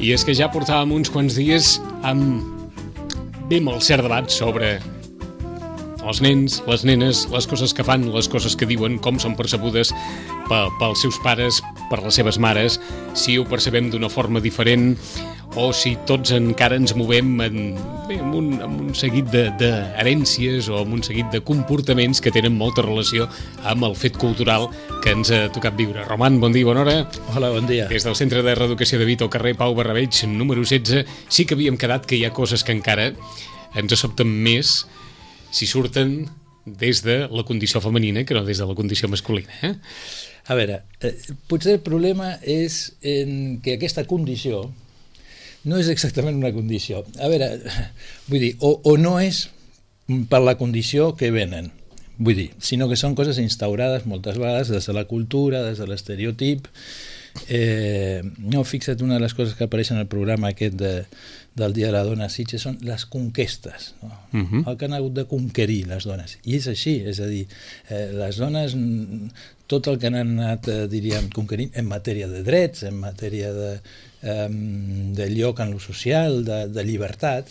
I és que ja portàvem uns quants dies amb molt cert debat sobre els nens, les nenes, les coses que fan, les coses que diuen, com són percebudes pels seus pares, per les seves mares, si ho percebem d'una forma diferent o si tots encara ens movem amb un seguit d'herències o amb un seguit de comportaments que tenen molta relació amb el fet cultural que ens ha tocat viure. Roman, bon dia, bona hora. Hola, bon dia. Des del Centre de Reeducació de Vito, carrer Pau Barrabeig, número 16, sí que havíem quedat que hi ha coses que encara ens sobten més si surten des de la condició femenina que no des de la condició masculina. A veure, potser el problema és en que aquesta condició no és exactament una condició. A veure, vull dir, o no és per la condició que venen, vull dir, sinó que són coses instaurades moltes vegades des de la cultura, des de l'estereotip. No, fixa't, una de les coses que apareixen al programa aquest del Dia de la Dona a Sitges són les conquestes, no? El que han hagut de conquerir les dones, i és així, és a dir, les dones, tot el que han anat, diríem, conquerint en matèria de drets, en matèria de lloc en lo social, de llibertat,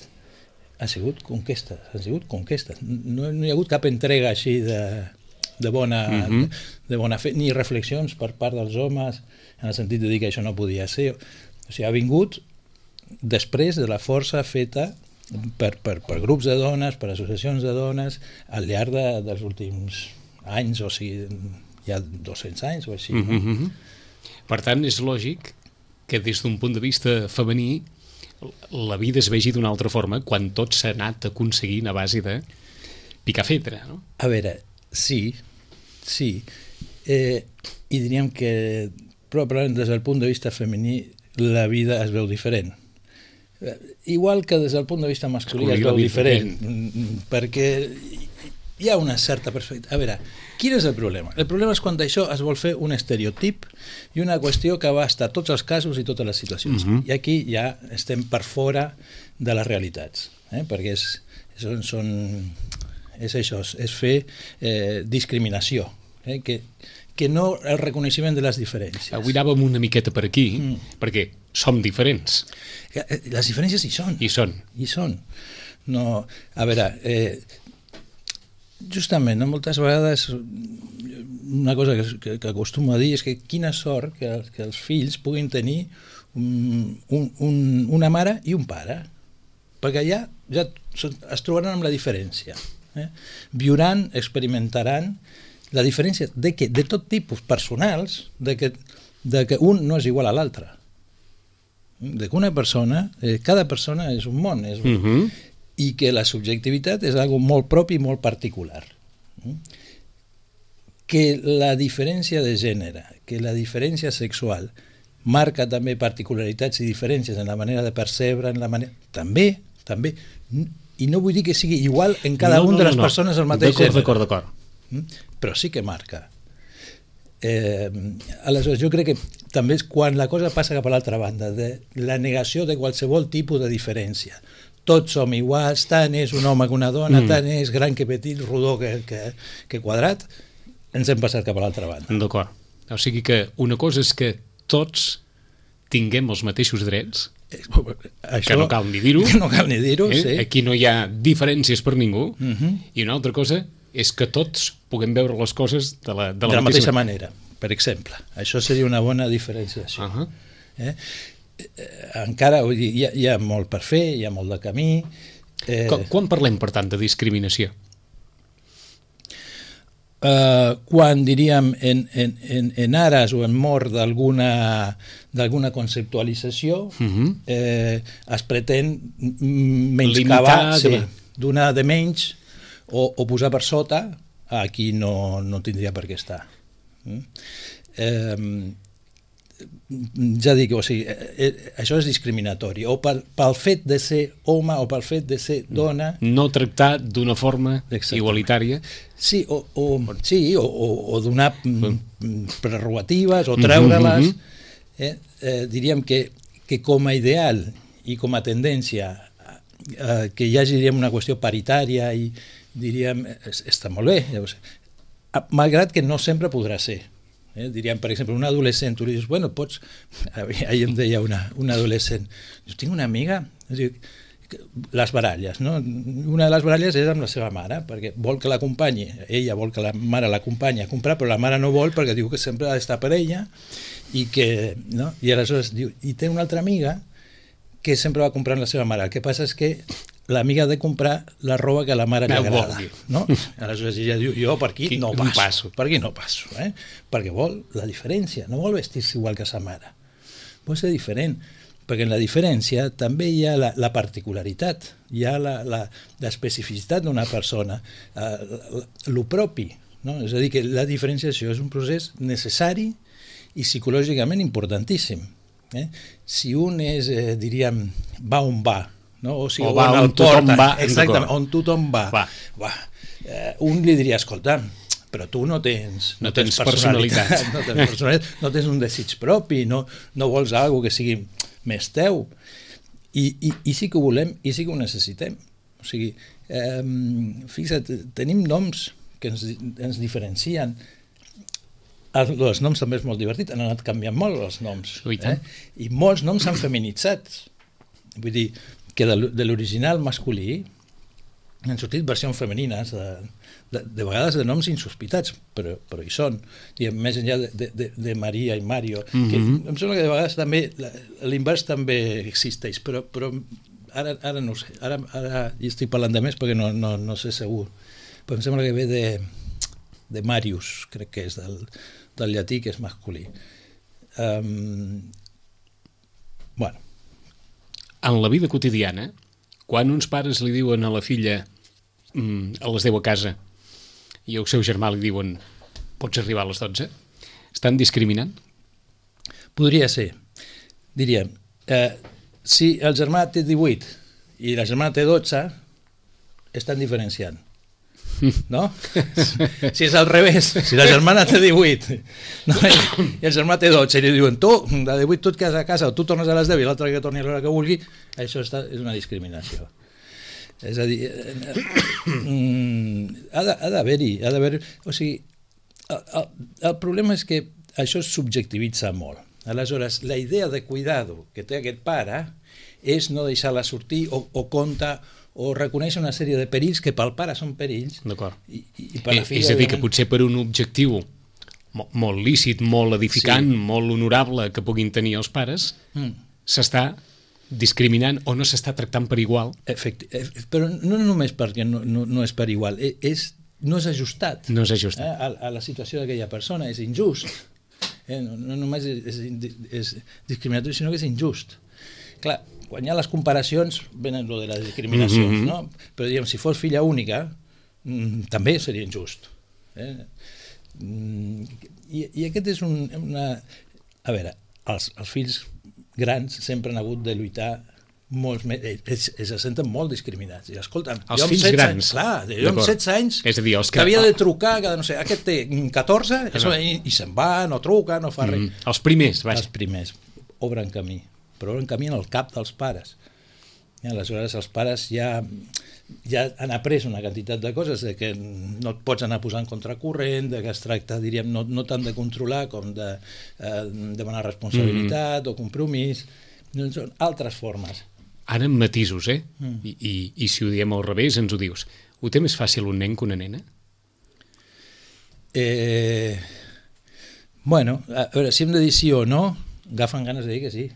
han sigut conquestes. No hi ha hagut cap entrega així de bona fe, ni reflexions per part dels homes en el sentit de dir que això no podia ser. O sigui, ha vingut després de la força feta per grups de dones, per associacions de dones, al llarg dels últims anys, o sigui, hi ha 200 anys o així. No? Per tant, és lògic que des d'un punt de vista femení la vida es vegi d'una altra forma quan tot s'ha anat aconseguint a base de picar fedra, no? A veure, sí, i diríem que probablement des del punt de vista femení la vida es veu diferent. Igual que des del punt de vista masculí es veu diferent, perquè hi ha una certa perspectiva. A veure, quin és el problema? El problema és quan això es vol fer un estereotip i una qüestió que abasta tots els casos i totes les situacions. I aquí ja estem per fora de les realitats, perquè és això, és fer discriminació, que no el reconeixement de les diferències. Avui anàvem una miqueta per aquí, perquè som diferents. Les diferències hi són. Hi són. No, a veure, justament, moltes vegades una cosa que acostumo a dir és que quina sort que els fills puguin tenir una mare i un pare, perquè ja es trobaran amb la diferència. Viuran, experimentaran la diferència de tot tipus personals, de que un no és igual a l'altre, de que una persona, cada persona és un món, i que la subjectivitat és algo molt propi i molt particular. Que la diferència de gènere, que la diferència sexual marca també particularitats i diferències en la manera de percebre, també, i no vull dir que sigui igual en cada una de les persones del mateix gènere. D'acord. Però sí que marca. Aleshores, jo crec que també és quan la cosa passa cap a l'altra banda, de la negació de qualsevol tipus de diferència. Tots som iguals, tant és un home que una dona, tant és gran que petit, rodó que quadrat, ens hem passat cap a l'altra banda. D'acord. O sigui que una cosa és que tots tinguem els mateixos drets, que no cal ni dir-ho, sí. Aquí no hi ha diferències per ningú, i una altra cosa és que tots puguem veure les coses de la mateixa manera, per exemple. Això seria una bona diferenciació. Encara hi ha molt per fer, hi ha molt de camí. Quan parlem, per tant, de discriminació? Quan, diríem, en ares o en mort d'alguna conceptualització, es pretén menyscabar, donar de menys o posar per sota a qui no tindria per què estar. Ja dic, o sigui, això és discriminatori, o pel fet de ser home o pel fet de ser dona. No tractar d'una forma igualitària. Sí, o donar prerrogatives o treure-les. Diríem que com a ideal i com a tendència que hi hagi, diríem, una qüestió paritària i diríem, està molt bé, malgrat que no sempre podrà ser. Diríem, per exemple, un adolescent, tu li dius, bueno, pots... Ahir em deia una adolescent, jo tinc una amiga, les baralles, no? Una de les baralles és amb la seva mare, perquè vol que l'acompanyi, ella vol que la mare l'acompanyi a comprar, però la mare no vol perquè diu que sempre ha d'estar per ella, i que, no? I aleshores diu, i té una altra amiga que sempre va comprant la seva mare, el que passa és que l'amiga ha de comprar la roba que a la mare li agrada, no? Aleshores ella diu, jo per aquí no passo, perquè vol la diferència, no vol vestir-se igual que sa mare, vol ser diferent, perquè en la diferència també hi ha la particularitat, hi ha l'especificitat d'una persona, lo propi, no? És a dir, que la diferenciació és un procés necessari i psicològicament importantíssim. Si un és, diríem, va on va, no? O sigui, o va on tothom va, exactament, on tothom va. Un li diria, escolta, però tu no tens personalitat, no tens un desig propi, no vols alguna que sigui més teu, i sí que ho volem i sí que ho necessitem. O sigui, fixa't, tenim noms que ens diferencien. Els noms també és molt divertit, han anat canviant molt els noms, i molts noms s'han feminitzat, vull dir que de l'original masculí han sortit versions femenines de vegades de noms insospitats, però hi són, més enllà de Maria i Mario, que em sembla que de vegades també l'invers també existeix, però ara no ho sé, ara hi estic parlant de més perquè no sé segur, però em sembla que ve de Marius, crec que és del llatí, que és masculí. Bueno, en la vida quotidiana, quan uns pares li diuen a la filla a les 10 a casa i al seu germà li diuen pots arribar a les 12, estan discriminant? Podria ser. Diríem, si el germà té 18 i la germana té 12, estan diferenciant. No? Si és al revés, si la germana té 18 i el germà té 12 i li diuen tu, de 18 tu et quedes a casa o tu tornes a les 10 i l'altre que torni a l'hora que vulgui, això és una discriminació. És a dir, ha d'haver-hi, o sigui, el problema és que això es subjectivitza molt. Aleshores, la idea de cuidado que té aquest pare és no deixar-la sortir o compta o reconèixer una sèrie de perills que pel pare són perills. D'acord. I per la filla, és a dir, que potser per un objectiu molt lícit, molt edificant, molt honorable que puguin tenir els pares, s'està discriminant o no s'està tractant per igual. Però no només perquè no és per igual, no és ajustat. No és ajustat. A la situació d'aquella persona, és injust. No només és discriminatori, sinó que és injust. Clar, quan hi ha les comparacions venen lo de les discriminacions, no? Però diguem, si fos filla única també seria injust. I aquest és una... A veure, els fills grans sempre han hagut de lluitar molts més, se senten molt discriminats. I escolta'm, els fills grans, clar, jo amb 16 anys és a dir, que havia de trucar, no sé, aquest té 14 i se'n va, no truca, no fa res. Els primers, vaja. Els primers obren camí, però obren camí en el cap dels pares. I aleshores els pares ja han après una quantitat de coses, de que no et pots anar posant contracorrent, de que es tracta, diríem, no tant de controlar com de demanar responsabilitat o compromís, són altres formes. Ara en matisos, I si ho diem al revés ens ho dius. Ho té més fàcil un nen que una nena? Bueno, a veure, si hem de dir sí o no, agafen ganes de dir que sí.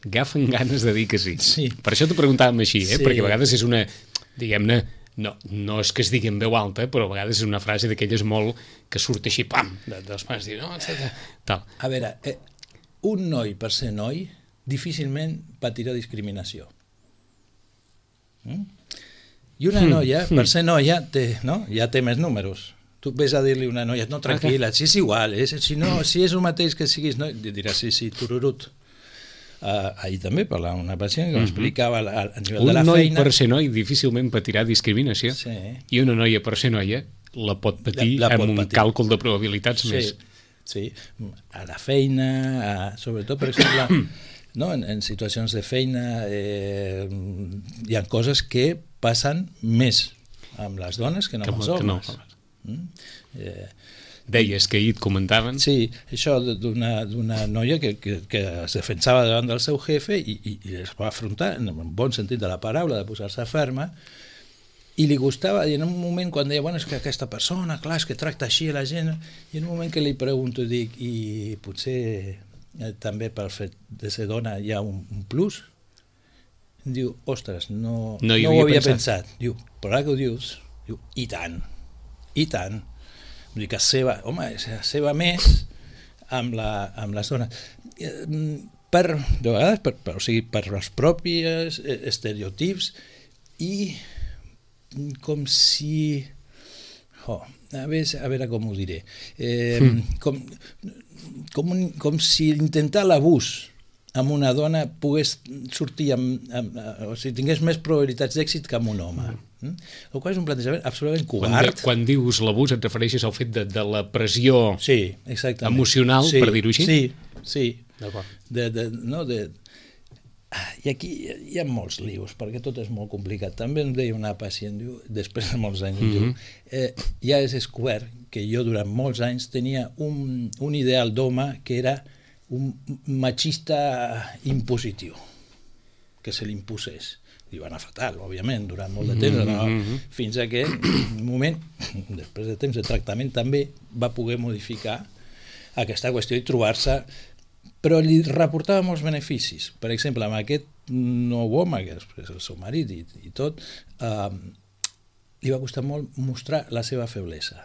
Agafen ganes de dir que sí. Sí. Per això t'ho preguntàvem així, Sí. Perquè a vegades és una, diguem-ne, no és que es digui en veu alta, però a vegades és una frase d'aquelles molt que surt així, pam, dels pares, dir, no, tal. A veure, un noi per ser noi difícilment patirà discriminació. I una noia, per ser noia, ja té més números. Tu ves a dir-li a una noia, no, tranquil·la, si és igual, si és el mateix que siguis noi, diràs, sí, tururut. Ahir també parlava una pacient que m'explicava a nivell de la feina... Un noi per ser noi difícilment patirà discriminació, i una noia per ser noia la pot patir amb un càlcul de probabilitats més. Sí, a la feina, sobretot, per exemple, en situacions de feina hi ha coses que passen més amb les dones que no amb els homes. deies que ahir et comentaven. Sí, això d'una noia que es defensava davant del seu jefe i es va afrontar, en un bon sentit de la paraula, de posar-se ferma, i li gustava, i en un moment quan deia, bueno, és que aquesta persona, clar, és que tracta així a la gent, i en un moment que li pregunto, dic, i potser també pel fet de ser dona hi ha un plus? Em diu, ostres, no ho havia pensat. Diu, però ara que ho dius, diu, i tant. Vull dir que es seva més amb les dones. De vegades, o sigui, per els propis estereotips i com si... a veure com ho diré. Com si intentar l'abús amb una dona pogués sortir o sigui, tingués més probabilitats d'èxit que amb un home. El qual és un plantejament absolutament covard. Quan dius l'abús et refereixes al fet de la pressió emocional, per dir-ho així? Sí. I aquí hi ha molts lius, perquè tot és molt complicat. També em deia una pacient, després de molts anys, ja has descobert que jo durant molts anys tenia un ideal d'home que era un machista impositiu, que se l'imposés. I va anar fatal, òbviament, durant molt de temps, fins a que un moment, després de temps de tractament, també va poder modificar aquesta qüestió i trobar-se, però li reportava molts beneficis. Per exemple, amb aquest nou home, que és el seu marit i tot, li va costar molt mostrar la seva feblesa.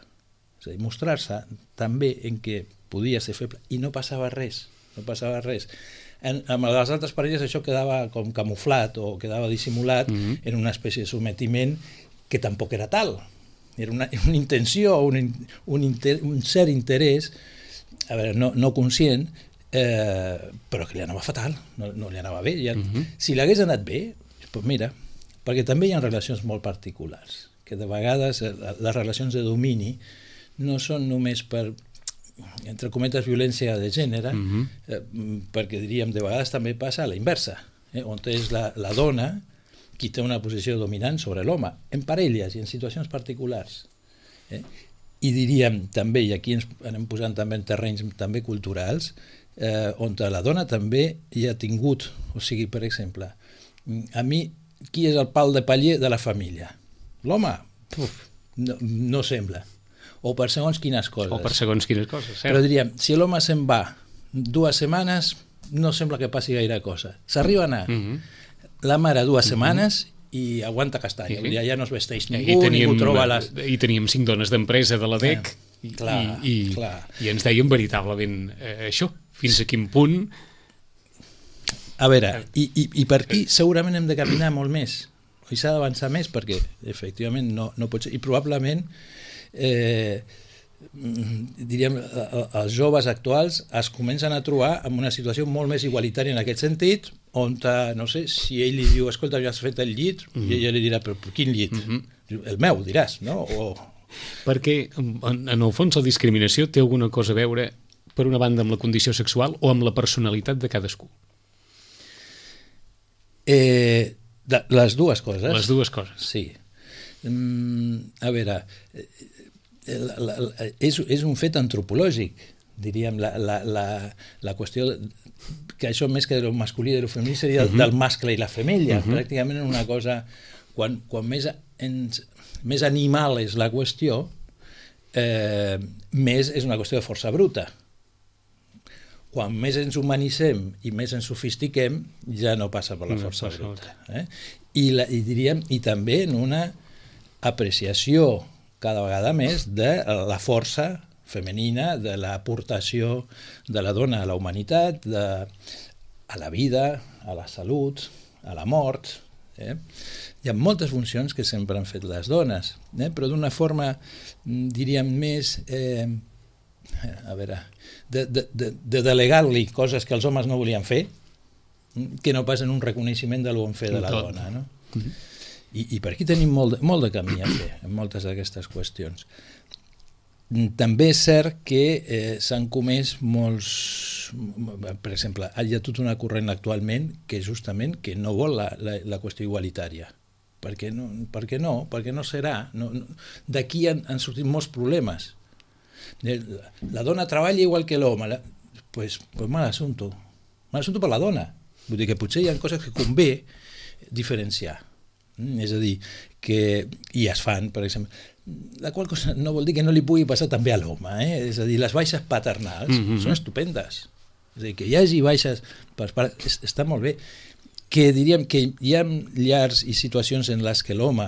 És a dir, mostrar-se també en què podia ser feble i no passava res. Amb les altres parelles això quedava com camuflat o quedava dissimulat en una espècie de sometiment que tampoc era tal. Era una intenció, un cert interès, a veure, no conscient, però que li anava fatal, no li anava bé. Si l'hagués anat bé, doncs mira, perquè també hi ha relacions molt particulars, que de vegades les relacions de domini no són només per, entre cometes, violència de gènere, perquè diríem, de vegades també passa a la inversa, on és la dona qui té una posició dominant sobre l'home, en parelles i en situacions particulars. I diríem també, i aquí ens anem posant també en terrenys també culturals, on la dona també hi ha tingut, o sigui, per exemple, a mi, qui és el pal de paller de la família? L'home? No sembla. O per segons quines coses. Però diríem, si l'home se'n va 2 setmanes, no sembla que passi gaire cosa. S'arriba a anar la mare 2 setmanes i aguanta castanya. Ja no es vesteix ningú troba les... I teníem 5 dones d'empresa de la DEC i ens deien veritablement això, fins a quin punt... A veure, i per aquí segurament hem de caminar molt més, i s'ha d'avançar més, perquè efectivament no pot ser, i probablement diríem, els joves actuals es comencen a trobar en una situació molt més igualitària en aquest sentit, on, no sé, si ell li diu, escolta, ja has fet el llit, i ella li dirà, però quin llit? El meu, diràs, no? Perquè, en el fons, la discriminació té alguna cosa a veure, per una banda, amb la condició sexual o amb la personalitat de cadascú? Les dues coses. Les dues coses. Sí. A veure, és un fet antropològic, diríem, la qüestió que això més que de lo masculí i de lo femení seria del mascle i la femella, pràcticament una cosa, quan més animal és la qüestió, més és una qüestió de força bruta. Quan més ens humanitzem i més ens sofistiquem, ja no passa per la força bruta. I diríem, i també en una apreciació cada vegada més de la força femenina, de l'aportació de la dona a la humanitat, a la vida, a la salut, a la mort. Hi ha moltes funcions que sempre han fet les dones, però d'una forma, diríem, més... a veure, de delegar-li coses que els homes no volien fer, que no pas en un reconeixement del bon fer de la dona, no? I per aquí tenim molt de camí a fer en moltes d'aquestes qüestions. També és cert que s'han comès molts... Per exemple, hi ha tot una corrent actualment que justament que no vol la qüestió igualitària. Per què no? Perquè no serà. D'aquí han sortit molts problemes. La dona treballa igual que l'home. Pues mal assunto. Mal assunto per la dona. Vull dir que potser hi ha coses que convé diferenciar. És a dir, que i es fan, per exemple, la qual cosa no vol dir que no li pugui passar també a l'home, és a dir, les baixes paternals són estupendes, és a dir, que hi hagi baixes per pares, està molt bé, que diríem que hi ha llars i situacions en les que l'home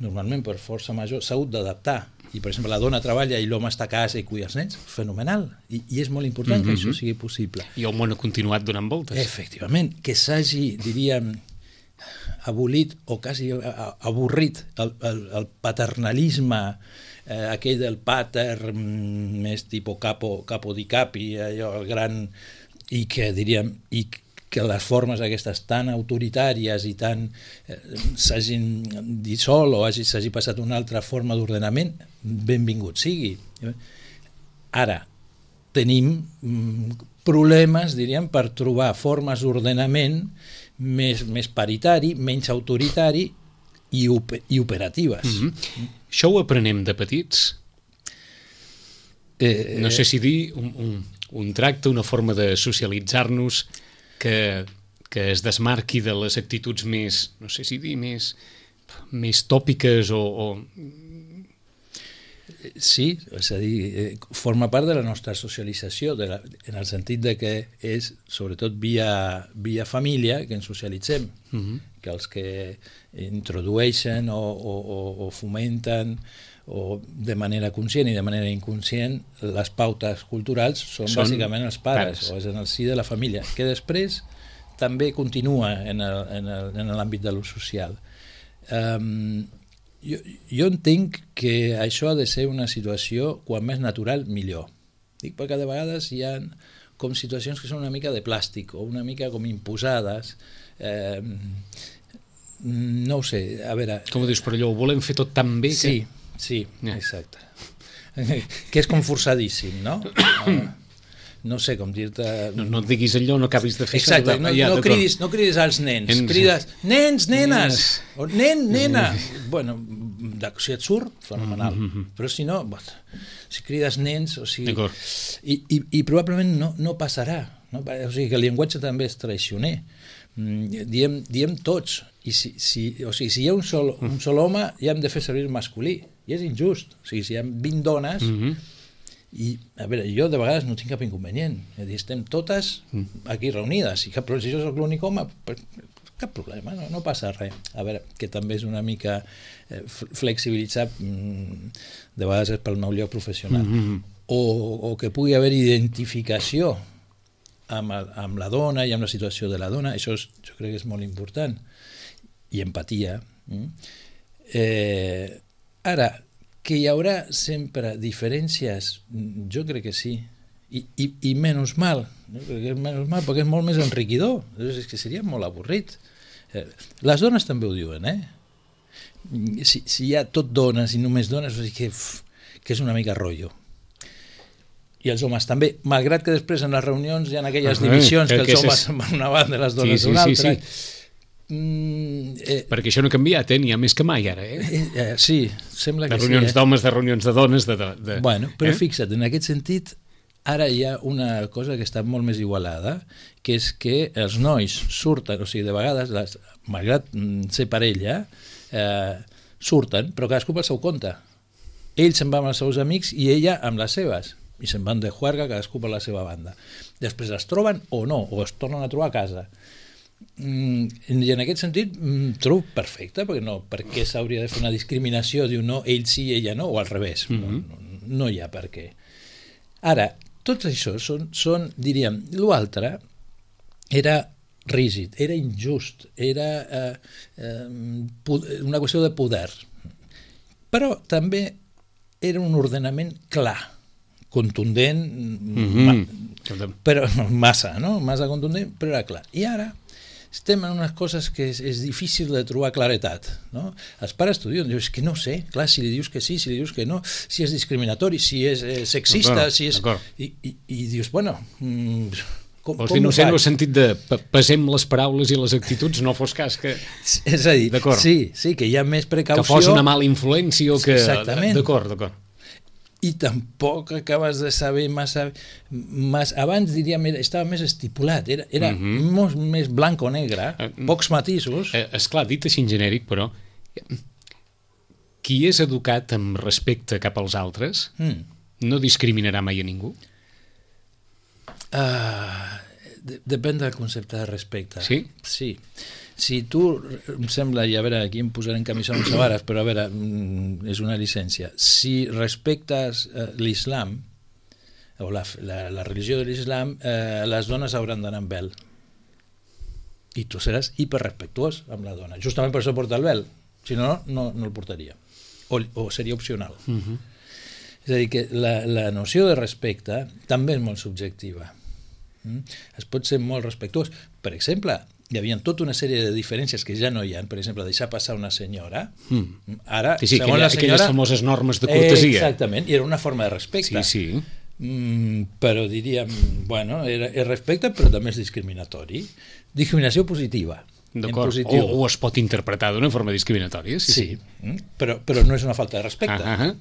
normalment per força major s'ha hagut d'adaptar, i per exemple la dona treballa i l'home està a casa i cuida els nens, fenomenal, i és molt important que això sigui possible. I el món ha continuat donant voltes. Efectivament, que s'hagi, diríem, abolit o quasi avorrit el paternalisme, aquell del pater més tipus capo di capi, allò, el gran, i que diríem, i que les formes aquestes tan autoritàries i tan s'hagin dissolt o s'hagi passat una altra forma d'ordenament, benvingut sigui. Ara, tenim problemes, diríem, per trobar formes d'ordenament més paritari, menys autoritari i operatives. Això ho aprenem de petits? No sé si dir un tracte, una forma de socialitzar-nos que es desmarqui de les actituds més, no sé si dir, més tòpiques o... Sí, és a dir, forma part de la nostra socialització, en el sentit de que és, sobretot via família, que ens socialitzem, que els que introdueixen o fomenten o de manera conscient i de manera inconscient les pautes culturals són bàsicament els pares, o és en el si de la família, que després també continua en l'àmbit de lo social. Jo entenc que això ha de ser una situació quan més natural millor. Dic perquè de vegades hi ha com situacions que són una mica de plàstic o una mica com imposades, no ho sé, a veure... Com ho dius, però allò ho volem fer tot tan bé que... Sí, exacte. Que és com forçadíssim, no? No sé com dir-te... No et diguis allò, no acabis de fer... Exacte, no cridis als nens, crides nens, nenes, o nen, nena. Bueno, si et surt, fenomenal, però si no, si crides nens, o sigui... I probablement no passarà, o sigui que el llenguatge també és traicioner. Diem tots, i si hi ha un sol home, ja hem de fer servir el masculí, i és injust. O sigui, si hi ha 20 dones... I, a veure, jo de vegades no tinc cap inconvenient, és a dir, estem totes aquí reunides, i si jo soc l'únic home, cap problema, no passa res. A veure, que també és una mica flexibilitzar, de vegades és pel meu lloc professional, o que pugui haver identificació amb la dona i amb la situació de la dona, això jo crec que és molt important, i empatia. Ara, que hi haurà sempre diferències, jo crec que sí, i menys mal, perquè és molt més enriquidor, és que seria molt avorrit. Les dones també ho diuen, si hi ha tot dones i només dones, que és una mica rotllo. I els homes també, malgrat que després en les reunions hi ha aquelles divisions que els homes van una banda i les dones d'una altra. Perquè això no ha canviat, n'hi ha més que mai ara. Sí, sembla que sí. De reunions d'homes, de reunions de dones... Bueno, però fixa't, en aquest sentit, ara hi ha una cosa que està molt més igualada, que és que els nois surten, o sigui, de vegades, malgrat ser parella, surten, però cadascú pel seu compte. Ell se'n va amb els seus amics i ella amb les seves, i se'n van de juerga cadascú per la seva banda. Després es troben o no, o es tornen a trobar a casa. I en aquest sentit trobo perfecte, perquè què s'hauria de fer una discriminació, diu no, ell sí, ella no, o al revés, no hi ha per què. Ara, tots això són, diríem, l'altre era rígid, era injust, era una qüestió de poder, però també era un ordenament clar, contundent, però massa contundent, però era clar. I ara estem en unes coses que és difícil de trobar claretat, no? Els pares t'ho diuen, dius, que no sé, clar, si li dius que sí, si li dius que no, si és discriminatori, si és sexista, si és... I dius, bueno... O sigui, no sé, en el sentit de pesem les paraules i les actituds, no fos cas que... És a dir, sí, que hi ha més precaució... Que fos una mala influència o que... Exactament. D'acord. i tampoc acabes de saber massa... Abans, diríem, estava més estipulat, era molt més blanc o negre, pocs matisos. Esclar, dit així en genèric, però qui és educat amb respecte cap als altres no discriminarà mai a ningú? Depèn del concepte de respecte. Sí? Sí. Si tu, em sembla, i a veure, aquí em posaré en camisons a vares, però a veure, és una llicència. Si respectes l'islam, o la religió de l'islam, les dones hauran d'anar amb vel. I tu seràs hiperrespectuós amb la dona. Justament per això porta el vel. Si no, no el portaria. O seria opcional. És a dir, que la noció de respecte també és molt subjectiva. Es pot ser molt respectuós. Per exemple, hi havia tota una sèrie de diferències que ja no hi ha. Per exemple, deixar passar una senyora. Ara, sí, segons la senyora... Aquelles famoses normes de cortesia. Exactament, i era una forma de respecte. Sí, sí. Però diríem, bueno, és respecte, però també és discriminatori. Discriminació positiva. D'acord, o es pot interpretar d'una forma discriminatòria. Sí. Però no és una falta de respecte.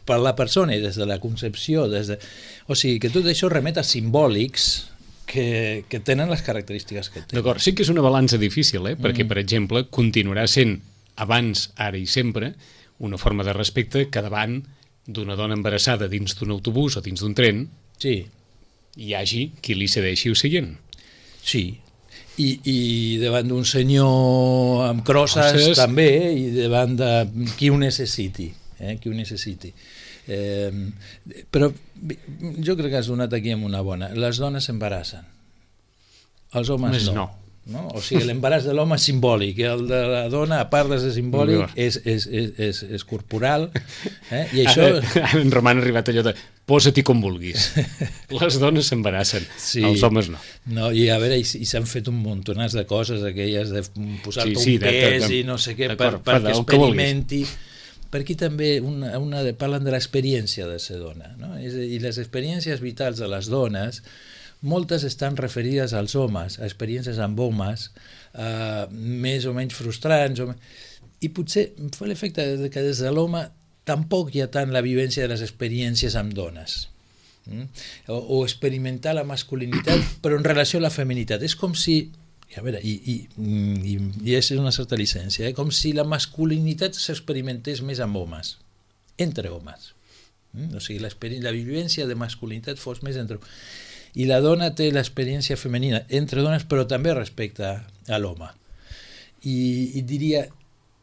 Per la persona i des de la concepció, o sigui que tot això remet a simbòlics que tenen les característiques que tenen. D'acord, sí que és una balança difícil, perquè, per exemple, continuarà sent abans, ara i sempre, una forma de respecte que davant d'una dona embarassada dins d'un autobús o dins d'un tren hi hagi qui li cedeixi el seient. Sí. I davant d'un senyor amb crosses també, i davant de qui ho necessiti. Qui ho necessiti. Però jo crec que has donat aquí amb una bona. Les dones s'embarassen. Els homes no. O sigui, l'embaràs de l'home és simbòlic, el de la dona, a part de ser simbòlic, és corporal. I això... En Roman ha arribat allò de posa-t'hi com vulguis. Les dones s'embarassen, els homes no. I a veure, i s'han fet un muntonàs de coses, aquelles de posar-te un pes i no sé què, perquè experimenti. Per aquí també parlen de l'experiència de ser dona, i les experiències vitals de les dones moltes estan referides als homes, a experiències amb homes, més o menys frustrants, i potser fa l'efecte que des de l'home tampoc hi ha tant la vivència de les experiències amb dones, o experimentar la masculinitat però en relació a la feminitat. És com si, a veure, i és una certa llicència, com si la masculinitat s'experimentés més amb homes, entre homes. O sigui, la vivència de masculinitat fos més entre homes. I la dona té l'experiència femenina entre dones, però també respecte a l'home. I diria,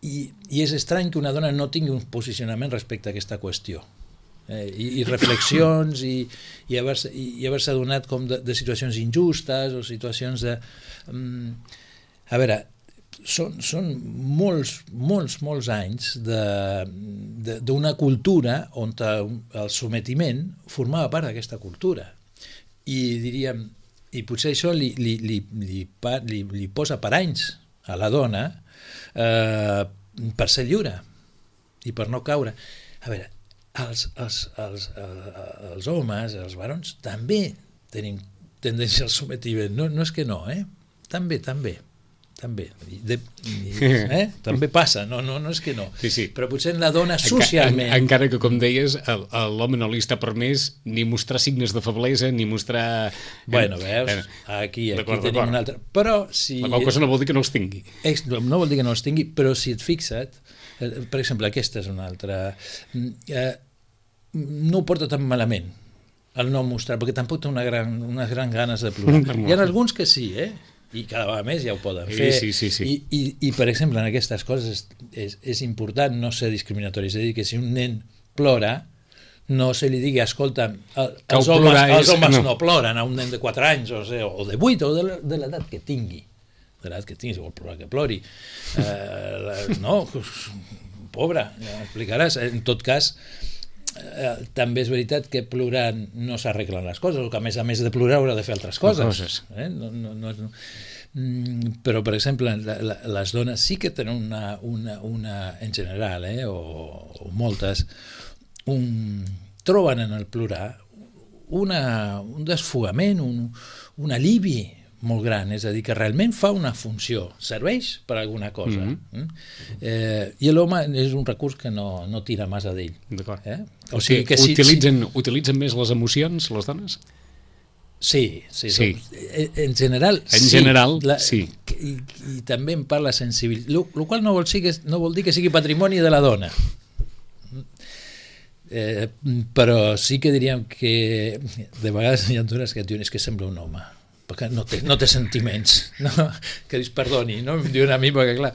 i és estrany que una dona no tingui un posicionament respecte a aquesta qüestió. I reflexions, i haver-se adonat com de situacions injustes, o situacions de... A veure, són molts anys d'una cultura on el sometiment formava part d'aquesta cultura. I diríem, i potser això li posa paranys a la dona per ser lliure i per no caure. A veure, els homes, els barons, també tenim tendència al sometiment. No és que no, també. També passa, no és que no. Sí. Però potser en la dona socialment... Encara que, com deies, a l'home no li està permès ni mostrar signes de feblesa, ni mostrar... Bueno, veus, aquí tenim un altre... Però si... La qual cosa no vol dir que no els tingui. No vol dir que no els tingui, però si et fixa't, per exemple, aquesta és una altra... No ho porta tan malament, el no mostrar, perquè tampoc té unes grans ganes de plorar. Hi ha alguns que sí, i cada vegada més ja ho poden fer. Sí. I per exemple, en aquestes coses és important no ser discriminatori, és a dir, que si un nen plora, no se li digui, escolta, els homes no ploren a un nen de 4 anys, o de 8, o de l'edat que tingui. De l'edat que tingui, si vol plorar, que plori. No, pobre, ja m'explicaràs. En tot cas, també és veritat que plorant no s'arreglen les coses, o que a més de plorar haurà de fer altres coses. Però, per exemple, les dones sí que tenen una en general, o moltes, troben en el plorar un desfogament, un alivi molt gran, és a dir, que realment fa una funció, serveix per alguna cosa. I l'home és un recurs que no tira massa d'ell. D'acord. O sigui que utilitzen més les emocions, les dones? Sí. En general, sí. I també en parla sensibilitat, el qual no vol dir que sigui patrimoni de la dona. Però sí que diríem que de vegades hi ha dones que et diuen que sembla un home, perquè no té sentiments, no? Que dius perdoni, no? Em diuen a mi perquè clar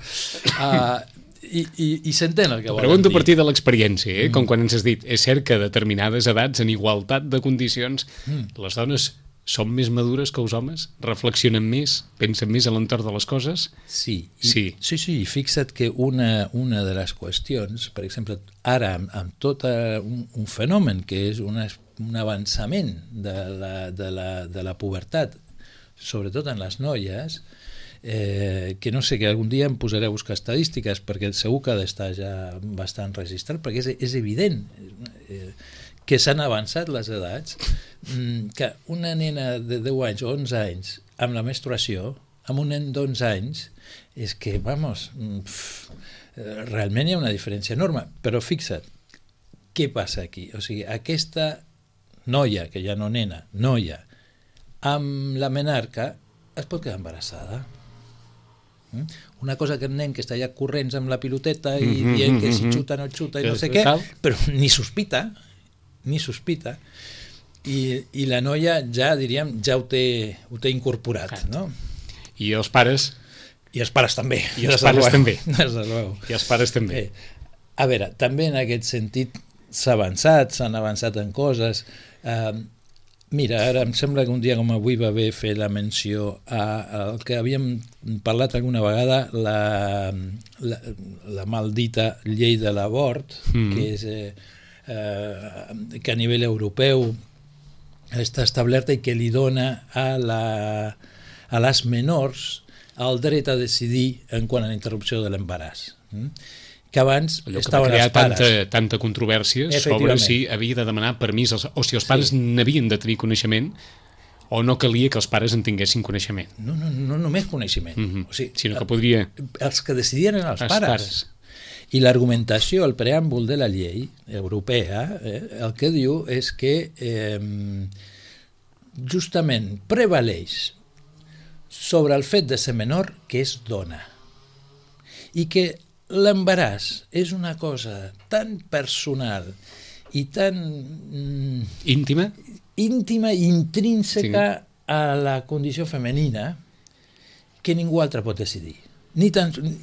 i s'entén el que volen dir. Pregunto a partir de l'experiència, com quan ens has dit, és cert que a determinades edats, en igualtat de condicions, les dones són més madures que els homes? Reflexionen més? Pensen més a l'entorn de les coses? Sí, i fixa't que una de les qüestions, per exemple, ara amb tot un fenomen que és un avançament de la pubertat, sobretot en les noies, que no sé, que algun dia em posaré a buscar estadístiques perquè segur que ha d'estar ja bastant registrat, perquè és evident que s'han avançat les edats, que una nena de 10 anys o 11 anys amb la menstruació, amb un nen d'11 anys, és que, realment hi ha una diferència enorme. Però fixa't, què passa aquí? O sigui, aquesta noia, que ja no nena, noia, amb la menarca, es pot quedar embarassada. Una cosa que el nen que està allà corrents amb la piloteta i dient que si xuta no xuta i no sé què, però ni sospita, i la noia ja, diríem, ja ho té incorporat, no? I els pares? I els pares també. I els pares també. I els pares també. A veure, també en aquest sentit s'han avançat en coses. Mira, ara em sembla que un dia com avui va bé fer la menció al que havíem parlat alguna vegada, la maldita llei de l'abort, que és que a nivell europeu està establerta i que li dona a les menors el dret a decidir en quant a la interrupció de l'embaràs, que abans estaven els pares. Va crear tanta controvèrsia sobre si havia de demanar permís o si els pares n'havien de tenir coneixement o no calia que els pares en tinguessin coneixement. No només coneixement, o sigui, sinó que podria... Els que decidien eren els pares. I l'argumentació, el preàmbul de la llei europea, el que diu és que justament prevaleix sobre el fet de ser menor que és dona i que l'embaràs és una cosa tan personal i tan íntima i intrínseca a la condició femenina que ningú altre pot decidir,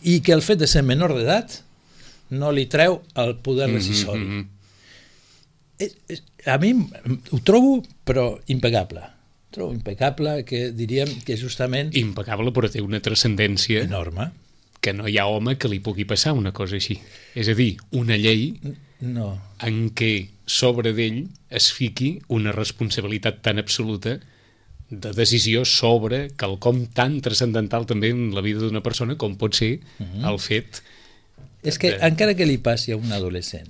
i que el fet de ser menor d'edat no li treu el poder decisori. A mi ho trobo, però impecable. Trobo impecable, que diríem que justament... Impecable, però té una transcendència enorme, que no hi ha home que li pugui passar una cosa així. És a dir, una llei en què sobre d'ell es fiqui una responsabilitat tan absoluta de decisió sobre quelcom tan transcendental també en la vida d'una persona com pot ser el fet... És que encara que li passi a un adolescent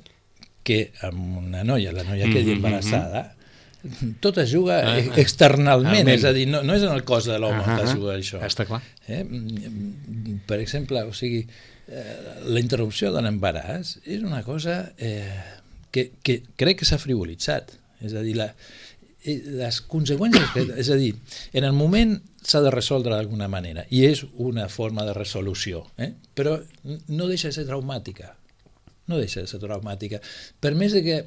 que amb una noia, la noia quedi embarassada, tot es juga externalment, és a dir, no és en el cos de l'home que es juga això. Està clar. Per exemple, o sigui, la interrupció de l'embaràs és una cosa que crec que s'ha frivolitzat. És a dir, les conseqüències, és a dir, en el moment s'ha de resoldre d'alguna manera i és una forma de resolució, però no deixa de ser traumàtica, per més que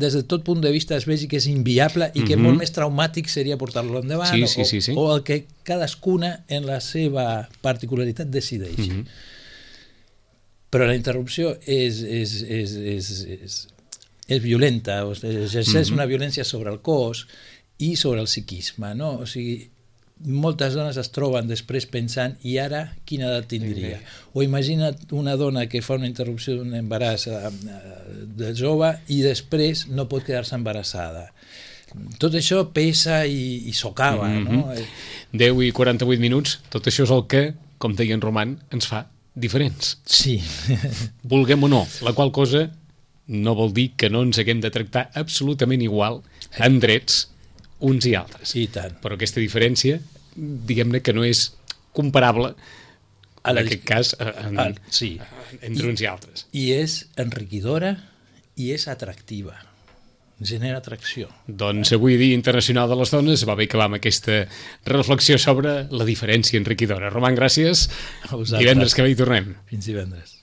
des de tot punt de vista es vegi que és inviable i que molt més traumàtic seria portar-lo endavant o el que cadascuna en la seva particularitat decideix. Però la interrupció és violenta, exerceix una violència sobre el cos i sobre el psiquisme, no? O sigui, moltes dones es troben després pensant i ara quina edat tindria? O imagina't una dona que fa una interrupció d'un embaràs de jove i després no pot quedar-se embarassada. Tot això pesa i socava, no? 10 i 48 minuts, tot això és el que, com deia en Roman, ens fa diferents. Sí. Vulguem o no, la qual cosa no vol dir que no ens haguem de tractar absolutament igual en drets uns i altres. I tant. Però aquesta diferència diguem-ne que no és comparable en aquest cas sí. entre uns i altres. I és enriquidora i és atractiva, genera atracció. Doncs avui, Dia Internacional de les Dones, va bé acabar amb aquesta reflexió sobre la diferència enriquidora. Roman, gràcies. A vosaltres. Divendres que ve hi tornem. Fins divendres.